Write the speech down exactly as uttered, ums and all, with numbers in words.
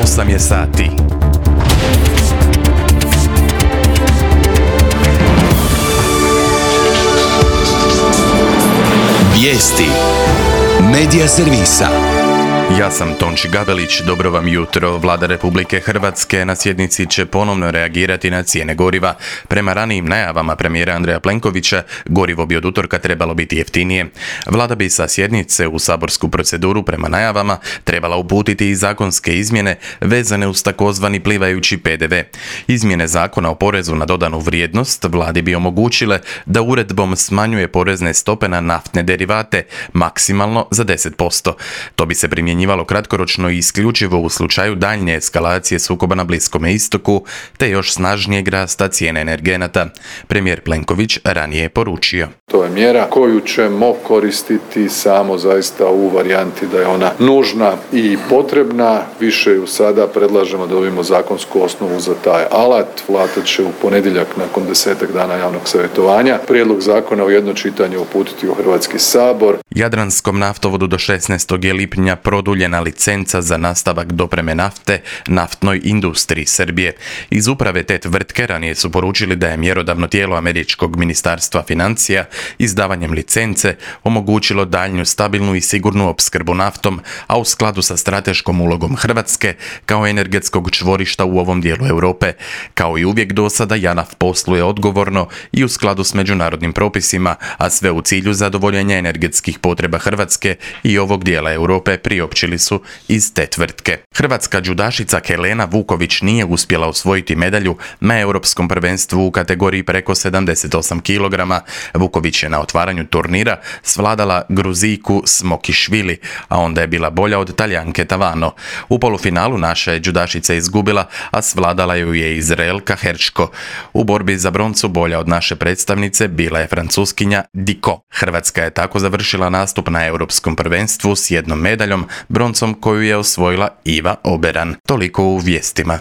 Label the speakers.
Speaker 1: osam je sati.
Speaker 2: Vijesti Medija servisa.
Speaker 1: Ja sam Tonči Gabelić, dobro vam jutro. Vlada Republike Hrvatske na sjednici će ponovno reagirati na cijene goriva. Prema ranijim najavama premijera Andreja Plenkovića, gorivo bi od utorka trebalo biti jeftinije. Vlada bi sa sjednice u saborsku proceduru prema najavama trebala uputiti i zakonske izmjene vezane uz takozvani plivajući pe de ve. Izmjene zakona o porezu na dodanu vrijednost vladi bi omogućile da uredbom smanjuje porezne stope na naftne derivate maksimalno za deset posto. To bi se primjenjivalo kratkoročno i isključivo u slučaju daljnje eskalacije sukoba na Bliskome istoku te još snažnijeg rasta cijene energenata. Premijer Plenković ranije je poručio:
Speaker 3: To je mjera koju ćemo koristiti samo zaista u varijanti da je ona nužna i potrebna. Više ju sada predlažemo da dobijemo zakonsku osnovu za taj alat. Vlada će u ponedjeljak nakon desetak dana javnog savjetovanja prijedlog zakona u jedno čitanje uputiti u Hrvatski sabor.
Speaker 1: Jadranskom naftovodu do šesnaestog je lipnja produljena licenca za nastavak dopreme nafte naftnoj industriji Srbije. Iz uprave te tvrtke ranije su poručili da je mjerodavno tijelo američkog ministarstva financija izdavanjem licence omogućilo daljnju stabilnu i sigurnu opskrbu naftom, a u skladu sa strateškom ulogom Hrvatske kao energetskog čvorišta u ovom dijelu Europe. Kao i uvijek do sada, JANAF posluje odgovorno i u skladu s međunarodnim propisima, a sve u cilju zadovoljenja energetskih potreba Hrvatske i ovog dijela Europe, priopćili su iz te tvrtke. Hrvatska džudašica Helena Vuković nije uspjela osvojiti medalju na europskom prvenstvu u kategoriji preko sedamdeset osam kilograma. Vuković je na otvaranju turnira svladala Gruzijku Smokišvili, a onda je bila bolja od Talijanke Tavano. U polufinalu naša je džudašica izgubila, a svladala ju je Izraelka Herčko. U borbi za broncu bolja od naše predstavnice bila je Francuskinja Diko. Hrvatska je tako završila nastup na europskom prvenstvu s jednom medaljom, broncom koju je osvojila Iva Oberan. Toliko u vijestima.